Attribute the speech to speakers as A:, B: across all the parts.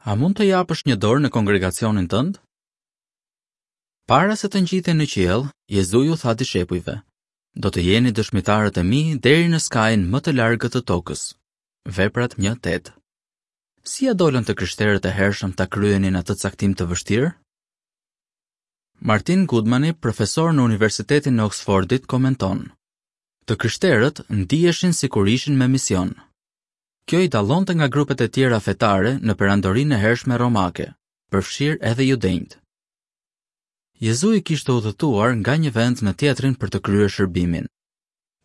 A: A mund të japësh një dorë në kongregacionin tënd? Para se të ngjitej në qiell, Jezui u tha dishepujve: Do të jeni dëshmitarët e mi deri në skajin më të largët të tokës. Veprat 1:8. Si ia dolën të krishterët e hershëm ta kryenin atë caktim të vështirë? Martin Goodmani, profesor në Universitetin e Oxfordit, komenton: Të krishterët ndiheshin sikur ishin me mision. Kjo i dallonte nga grupet e tjera fetare në perandorinë e hershme romake, përfshirë edhe judenjtë. Jezui kishte udhëtuar nga një vend në tjetrin për të kryer shërbimin.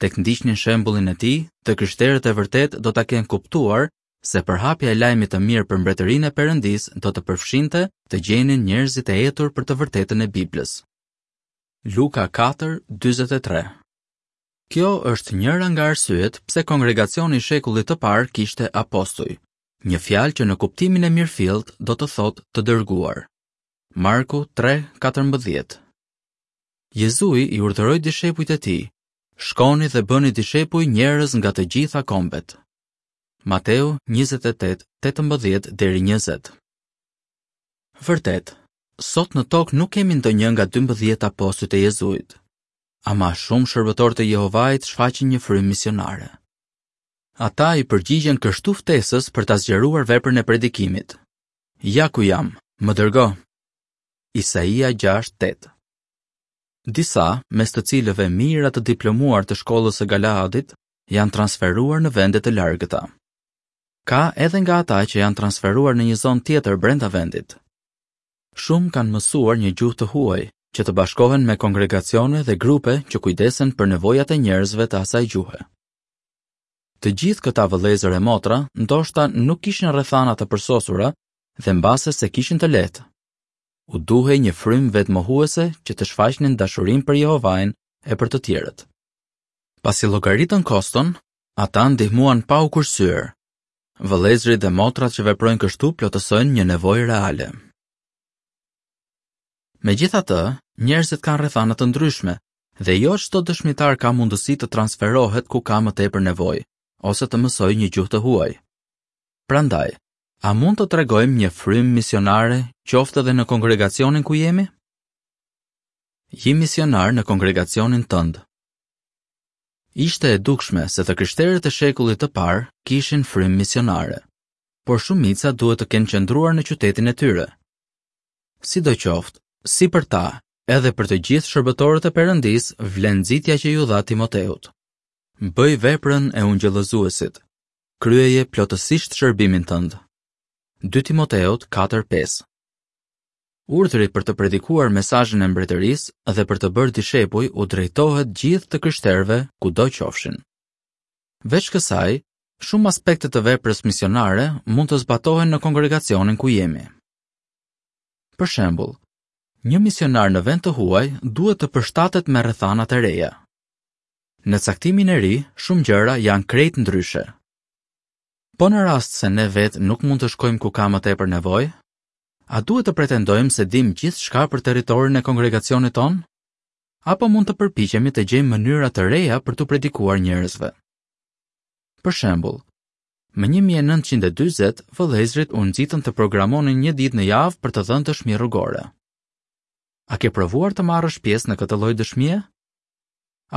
A: Tek ndiqnin shembullin e tij, të krishterët e vërtetë do ta kenë kuptuar se përhapja e lajmit të mirë për mbretërinë e Perëndisë do të përfshinte të gjenin njerëzit e etur për të vërtetën e Biblës. Luka 4:43 Kjo është njëra nga arsyet pse kongregacioni i shekullit të parë kishte apostuj, një fjalë që në kuptimin e mirëfilltë do të thotë të dërguar. Marku 3:14. Jezui i urdhëroi dishepujt e tij, shkoni dhe bëni dishepuj njerëz nga të gjitha kombet. Mateu 28:18 deri 20. Vërtet, sot në tokë nuk kemi ndonjë nga 12 apostujt e Jezuit. Ama shumë shërbëtorë të Jehovait shfaqin një frymë misionare. Ata i përgjigjen kështu ftesës për ta zgjeruar veprën e predikimit. Ja ku jam, më dërgo. Isaia 6:8. Disa, mes të cilëve mijëra të diplomuar të shkollës së Galaadit, janë transferuar në vende të largëta. Ka edhe nga ata që janë transferuar në një zonë tjetër brenda vendit. Shumë kanë mësuar një gjuhë të huaj, që të bashkohen me kongregacione dhe grupe që kujdesen për nevojat e njerëzve të asaj gjuhe. Të gjithë këta vëllezër e motra ndoshta nuk kishin rrethana të përsosura dhe mbase s'e kishin të lehtë. U duhej një frymë vetëmohuese që të shfaqnin dashurinë për Jehovain e për të tjerët. Pasi llogaritën koston, ata ndihmuan pa u kursyer, Vëllezërit dhe motrat që veprojnë kështu plotësojnë një nevojë reale. Megjithatë, njerëzit kanë rrethana të ndryshme dhe jo çdo dëshmitar ka mundësi të transferohet ku ka më tepër nevojë ose të mësojë një gjuhë të huaj. Prandaj, a mund të tregojmë një frymë misionare qoftë edhe në kongregacionin ku jemi? Ji misionar në kongregacionin tënd. Ishte e dukshme se të krishterët e shekullit të parë kishin frymë misionare, por shumica duhet të kenë qëndruar në qytetin e tyre. Sidoqoftë, si për ta, edhe për të gjithë shërbëtorët e Perëndisë vlen nxitja që iu dha Timoteut. Bëj veprën e ungjillëzuesit. Kryeje plotësisht shërbimin tënd. 2 Timoteut 4:5 Urdhri për të predikuar mesazhin e mbretërisë dhe për të bërë dishepuj u drejtohet gjithë të krishterëve kudo qofshin. Veç kësaj, shumë aspekte të veprës misionare mund të zbatohen në kongregacionin ku jemi. Për shembull, një misionar në vend të huaj duhet të përshtatet me rrethanat e reja. Në caktimin e ri, shumë gjëra janë krejt ndryshe. Po në rast se ne vetë nuk mund të shkojmë ku ka më tepër nevojë, A duhet të pretendojmë se dimë gjithçka për territorin e kongregacionit tonë? Apo mund të përpiqemi të gjejmë mënyra të reja për t'u predikuar njerëzve? Për shembull, më 1940 vëllezërit u nxitën të programonin një ditë në javë për të dhënë dëshmi rrugore. A ke provuar të marrësh pjesë në këtë lloj dëshmie?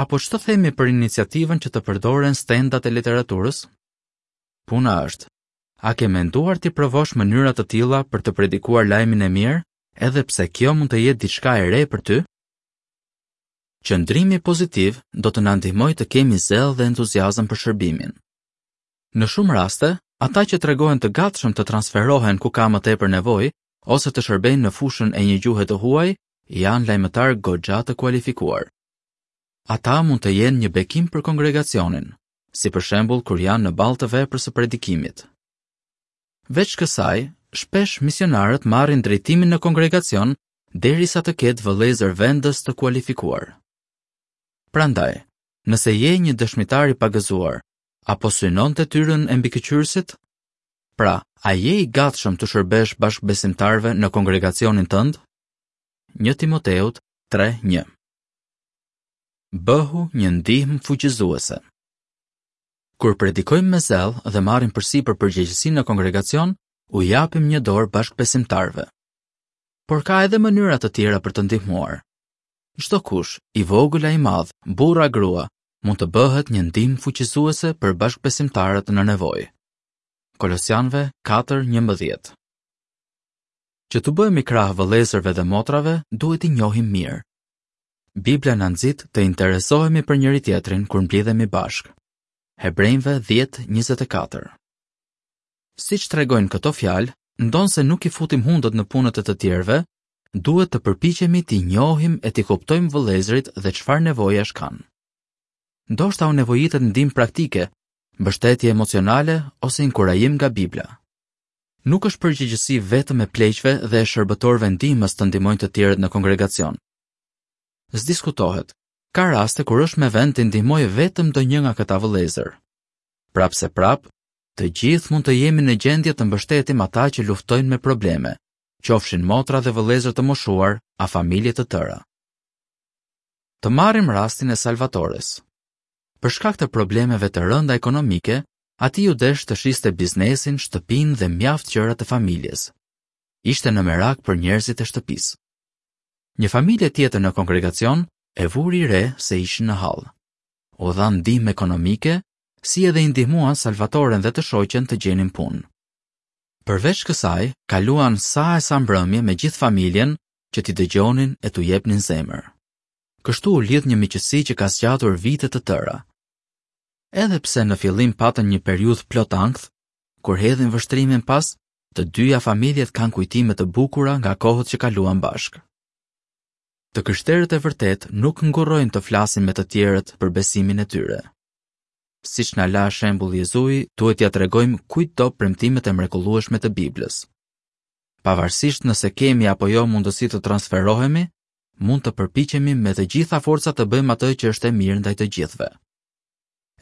A: Apo ç'të themi për iniciativën që të përdoren stendat e literaturës? Puna është, A ke menduar t'i provosh mënyra të tilla për të predikuar lajmin e mirë, edhe pse kjo mund të jetë diçka e re për ty? Qëndrimi pozitiv do të na ndihmojë të kemi zell dhe entuziazëm për shërbimin. Në shumë raste, ata që tregohen të gatshëm të transferohen ku ka më tepër nevojë ose të shërbejnë në fushën e një gjuhe të huaj, janë lajmëtarë goxha të kualifikuar. Ata mund të jenë një bekim për kongregacionin, si për shembull kur janë në ballë të veprës së predikimit. Veç kësaj, shpesh misionarët marrin drejtimin në kongregacion derisa të ketë vëllezër vendës të kualifikuar. Prandaj, nëse je një dëshmitar i pagëzuar, a po synon detyrën e mbikëqyrësit? Pra, a je i gatshëm t'u shërbesh bashkëbesimtarëve në kongregacionin tënd? 1 Timoteut 3:1 Bëhu një ndihmë fuqizuese. Kur predikojmë me zell dhe marrim përsipër përgjegjësi në kongregacion, u japim një dorë bashkëbesimtarëve. Por ka edhe mënyra të tjera për të ndihmuar. Çdokush, i vogël a i madh, burrë a grua, mund të bëhet një ndihmë fuqizuese për bashkëbesimtarët në nevojë. Kolosianëve 4:11. Që t'u bëhemi krah vëllezërve dhe motrave, duhet t'i njohim mirë. Bibla na nxit të interesohemi për njëri-tjetrin kur mblidhemi bashkë. Hebrenjve 10:24. Siç tregojnë këto fjalë, ndonëse nuk i futim hundët në punët e të tjerëve, duhet të përpiqemi t'i njohim e t'i kuptojmë vëllezërit dhe çfarë nevojash kanë. Ndoshta u nevojitet ndihmë praktike, mbështetje emocionale ose inkurajim nga Bibla. Nuk është përgjegjësi vetëm e pleqve dhe e shërbëtorëve ndihmës të ndihmojnë të tjerët në kongregacion. S'diskutohet, ka raste kur është me vend të ndihmojë vetëm ndonjë nga këta vëllezër. Prapëseprapë, të gjithë mund të jemi në gjendje të mbështetim ata që luftojnë me probleme, qofshin motra dhe vëllezër të moshuar a familje të tëra. Të marrim rastin e Salvatores. Për shkak të problemeve të rënda ekonomike, atij iu desh të shiste biznesin, shtëpinë dhe mjaft gjëra të familjes. Ishte në merak për njerëzit e shtëpisë. Një familje tjetër në kongregacion e vuri re se ishin në hall. U dha ndihmë ekonomike, si edhe i ndihmuan Salvatoren dhe të shoqen të gjenin punë. Përveç kësaj, kaluan sa e sa mbrëmje me gjithë familjen që t'i dëgjonin e t'u jepnin zemër. Kështu u lidh një miqësi që ka zgjatur vite të tëra. Edhe pse në fillim patën një periudhë plot ankth, kur hedhin vështrimin pas, të dyja familjet kanë kujtime të bukura nga kohët që kaluan bashkë. Të krishterët e vërtetë nuk ngurrojnë të flasin me të tjerët për besimin e tyre. Siç na la shembull Jezui, duhet t'ia tregojmë kujtdo premtimet e mrekullueshme të Biblës. Pavarësisht nëse kemi apo jo mundësi të transferohemi, mund të përpiqemi me të gjitha forcat të bëjmë atë që është e mirë ndaj të gjithëve.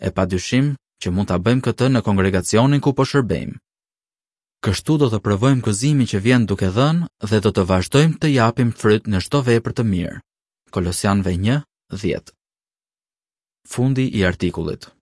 A: E padyshim që mund ta bëjmë këtë në kongregacionin ku po shërbejmë. Kështu do të provojmë gëzimin që vjen duke dhënë dhe do të vazhdojmë të japim fryt në çdo vepër të mirë. Kolosianëve 1:10. Fundi i artikullit.